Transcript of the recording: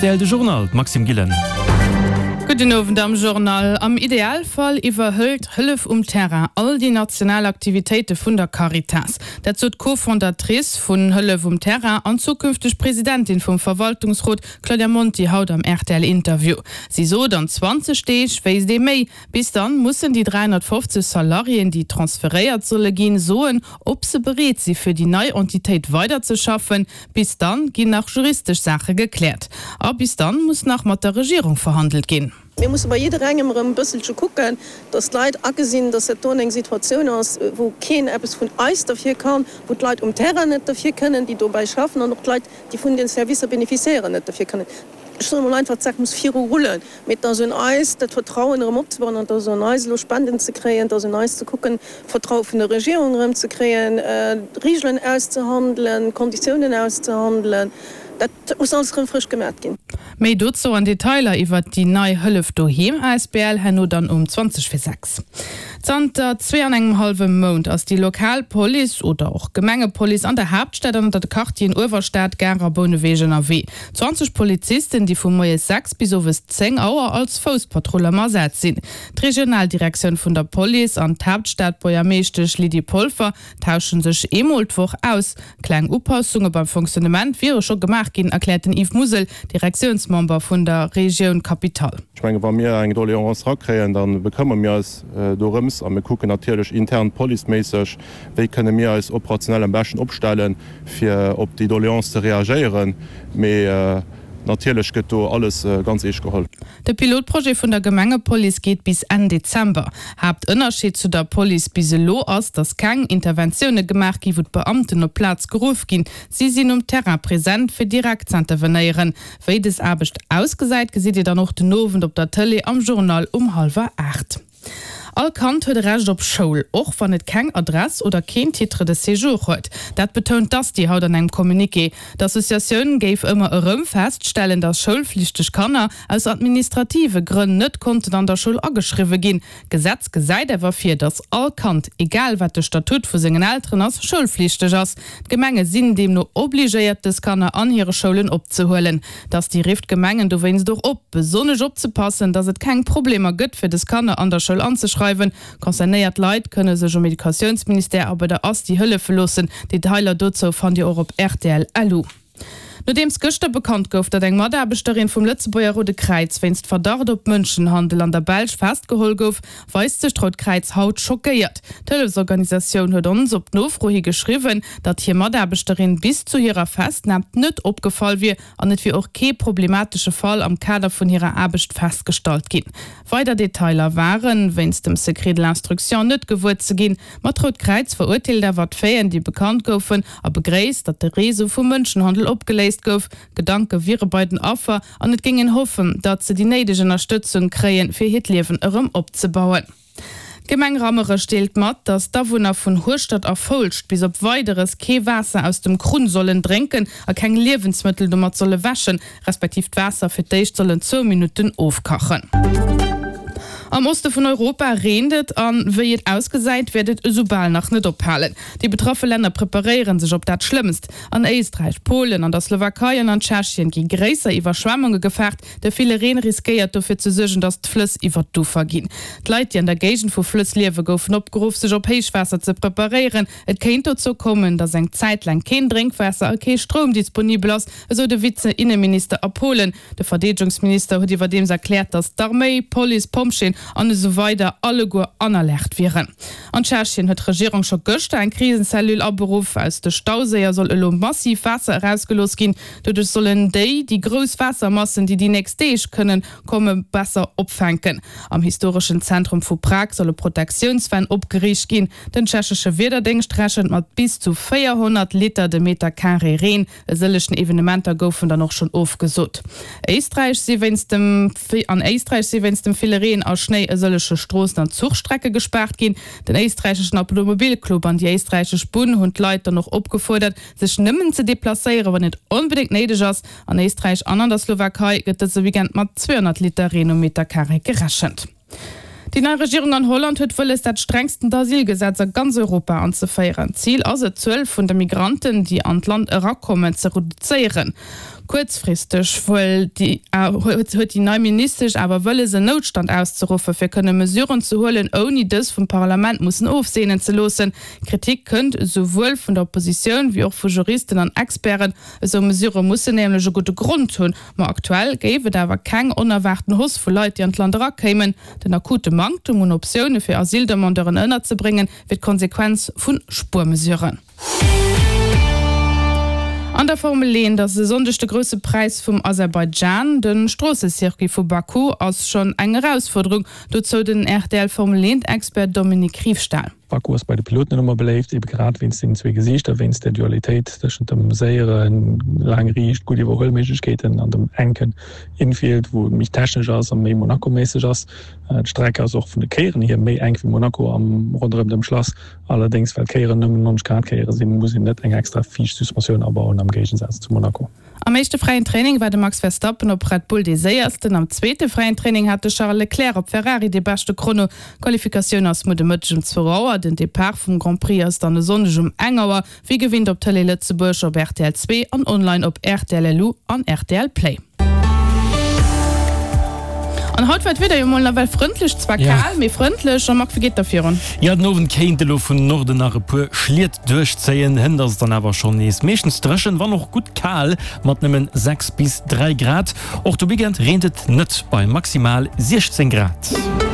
rtl de Journal, d'Maxime Gillen. Gudden Owend am Journal. Am Idealfall iwwerhëlt Hëllef um Terrain all déi national Aktivitéite vun der Caritas. Dat sot d'Co-Fondatrice vun Hëllef um Terrain an zukünfteg Presidentin vum Verwaltungsrot Claudia Monti haut am rtl Interview. Si sot, an 20 Deeg wéisst ee méi. Bis dann mussen déi 350 Salariéen, déi transferéiert solle ginn, soen, ob se bereet si fir déi nei Entitéit weiderzeschaffen. Bis dann ginn nach juristesch Saache gekläert. A bis dann muss nach mat der Regierung verhandelt ginn. Mir musse bei jidderengem erëm e bësselche kucken, dass d'Leit agesinn, dass dat doen eng Situatioun ass, wou keen eppes vun eis derfir kann, wou d'Leit um Terrain net derfir kënnen, déi dobäi schaffen, an och d'Leit, déi vun den Servicer bénéficiéieren, net derfir kënnen. Ech soen emol einfach, d'Saach muss viru rullen. Mee et ass un eis, dat Vertrauen erëm opzebauen an et ass un eis, elo Spenden ze kréien, et ass un eis ze kucken, Vertraue vun der Regierung erëm ze kréien, Regeln auszehandelen, Konditiounen auszehandelen. Dat muss alles erëm frësch gemat ginn. Méi dozou an Detailer iwwert déi nei Hëllef Doheem asbl herno dann um 20 vir 6. Zanter zwee an engem hallwe Mount ass déi lokal Police oder och Gemengepolice an der Haaptstad an an de Quartieren Uewerstad, Gare a Bouneweg ënnerwee. 20 Polizisten, déi vu moies 6 bis owes 10 Auer als Fousspatrull am Asaz sinn. D'Regionaldirektioun vun der Police an d'Haaptstadbuergermeeschtesch Lydie Polfer tauschen sech eemol d'Woch aus. Kleng Upassunge beim Fonctionnement wiere scho gemaach ginn, erkläert den Yves Musel, Direktiounsmember vun der Regioun Capitale. Ech menge wa mir eng Doléance erakréien, da bekëmmere mir eis dorëms a mir kucken natierlech intern policeméisseg, wéi kënne mir eis operationell am beschten opstellen, fir op déi Doléance ze reagéieren, mee natierlech gëtt do alles ganz eescht geholl. De Pilotprojet vun der Gemengepolice geet bis Enn Dezember. Haaptënnerscheed zu der Police bis elo ass, datt keng Interventioune gemaach gi wou d'Beamten op d'Plaz geruff ginn. Si sinn um Terrain present, fir direkt z'intervenéieren. Wéi des Aarbecht ausgesäit, gesitt Dir dann och den Owend op der Tëlee am Journal um hallwer 8. All Kand huet e Recht op Schoul, och wann et keng Adress oder keen Titre de séjour huet. Dat betount d'ASTI haut an engem Communiqué. D'Associatioun géif ëmmer erëm feststellen, datt schoulflichteg Kanner aus administrative Grënn net konnten an der Schoul ageschriwwe ginn. D'Gesetz gesäit awer vir, datt all Kand, egal wat de Statut vu sengen Elteren ass, schoulflichteg ass. D'Gemenge sinn deemno obligéiert, dës Kanner an hire Schoulen opzehuelen. D'Asti rifft d'Gemengen dowéinst och op, besonnesch opzepassen, datt et keng Problemer gëtt, fir des Kanner an der Schoul anzeschreiwen. Concernéiert Leit kënne sech um Educatiounsministère a bei der Asti hëllefe loossen. Detailer dozou fannt Dir och op rtl. Lu. Nodeems gëschter bekannt gouf, datt eng Mataarbechterin vum Lëtzebuerger Roude Kräiz wéinst Verdacht op Mënschenhandel an der Belsch festgeholl gouf, weist sech d'Rout Kräiz haut schockéiert. D'Hëllefsorganisatioun huet ons op Nofro hi geschriwwen, datt hir Mataarbechterin bis zu hirer Festnam net opgefall wier an et wier och kee problematesche Fall am Kader vun hirer Aarbecht festgestallt ginn. Weider Detailer ware wéinst dem Secret de l'instruction net gewuer ze ginn. Ma d'Rout Kräiz verurteelt awer d'Faiten, déi bekannt goufen a begréisst, datt de Réseau vum Mënschenhandel opgeléist gouf. Gedanke wiere bei den Affer an et géing een hoffen, datt se déi néideg Ënnerstëtzung kréien, fir hiert Liewen erëm opzebauen. D'Gemeng Rammerech deelt mat, datt d'Awunner vun Hueschtert a Foulscht bis op Weideres kee Waasser aus dem Krunn sollen drénken a keng Liewensmëttel domat solle wäschen, respektiv d'Waasser fir d'éischt sollen zwou Minutten ofkachen. Am Oste vun Europa reent et an wéi et ausgesäit, wäert et esoubal nach net ophalen. Déi betraffe Länner preparéiere sech op dat Schlëmmst. An Éisträich, Polen, an der Slowakei an an Tschechien gi gréisser Iwwerschwemmunge gefaart. De ville Reen riskéiert dofir ze suergen, datt d'Flëss iwwer d'Ufer ginn. D'Leit, déi an der Géigend vu Flëss liewen, goufen opgeruff, sech op Héichwaasser ze preparéieren. Et kéint dozou kommen, datt eng Zäit laang keen Drénkwaasser a kee Stroum disponibel ass, esou de Vize-Inneminister a Polen. De Verdeedegungsminister huet iwwerdeems erkläert, datt d'Arméi, Police, Pompjeeën an esou weider alleguer an Alerte wieren. An Tschechien huet d'Regierung scho gëschter eng Krisenzellule aberuff. Aus de Stauséier soll elo massiv Waasser erausgelooss ginn. Doduerch sollen déi déi grouss Waassermassen, déi déi nächst Deeg kënnen komme besser opfänken. Am historeschen Zentrum vu Prag solle Protektiounswänn opgeriicht ginn. Den tschechesche Wiederdéngscht rechent mat bis zu 400 Liter de Meter Carré Reen. E sëllechen Evenementer goufen dann och schonn ofgesot. Éisträich si wéinst dem An Éisträich si wéinst dem ville Reen a Schnéi e sëlleche Stroossen an Zuchstrecke gespaart ginn. Den éisträicheschen Automobilclub an déi éisträichesch Bunn hunn d'Leit dann och opgefuerdert, Sech nëmmen ze deplacéieren, wann et onbedéngt néideg ass. An Éisträich an an der Slowakei gëtt dëse Weekend mat 200 Liter Reen um Meterkaree gerechent. Déi nei Regierung an Holland huet wëlles, dat strengstent Asylgesetz a ganz Europa anzeféieren. Zil ass et, d'Zuel vun de Migranten, déi an d'Land erakommen, ze reduzéieren. Kuerzfristeg huet déi nei Ministesch awer wëlles, en Noutstand auszeruffe fir kënne Mesuren ze huelen, ouni dës vum Parlament mussen ofseenen ze loossen. Kritik kënnt esouwuel vun der Oppositioun wéi och vu Juristen an Experten. Esou Mesurë mussen nämlech e gudde Grond hunn. Ma aktuell géif et awer keng onerwaarten Hausse vu Leit, déi an d'Land erakéimen. Den akute Manktem un Optioune fir Asyldemandeuren ënnerzebréngen, wier d'Konsequenz vu Spuermesuren. An der Formel 1 ass e Sonndeg de Grousse Präis vum Aserbaidschan. De Stroossecircuit vu Baku ass schonn eng Erausfuerderung, dozou den RTL-Formel-Eent-Expert Dominique Riefstahl. Baku ass bei de Piloten net ëmmer beléift, ebe grad wéinst sengen zwee Gesiichter, wéinst der Dualitéit tëschent dem séieren, laang riicht, gutt Iwwerhuelméiglechkeeten an dem enken Infield, wou et méi technesch ass a méi Monaco-méisseg ass. D'Streck ass och vun de Kéieren hier méi enk wéi Monaco am ronderëm dem Schlass. Allerdéngs, well d'Kéieren nëmmen 90 Grad Kéiere sinn, muss een net eng extra viischt Suspensioun abauen, am Géigesaz zu Monaco. Am éischte fräien Training war de Max Verstappen op Red Bull dee séiersten. Am zweete fräien Training hat de Charles Leclerc op Ferrari dee beschte Chrono. D'Qualifikatioun ass muer de Mëtteg um zwou Auer. Den Depart vum Grand Prix ass dann e Sonndeg um eng Auer, wéi gewinnt op Tëlee Lëtzebuerg, op rtl 2 an online op rtl LU an rtl Play. An haut war d'Wieder jo mol nawell frëndlech, zwar kal, mee frëndlech. Jean-Marc, wéi geet da virun? Jo, den Owend kéint elo vun Norden nach e puer Schliet duerchzéien. Hënt ass et dann awer schonn nees meeschtens dréchen, wann och gutt kal, mat nëmmen 6 bis 3 Grad. Och de Weekend reent et net bei maximal 16 Grad.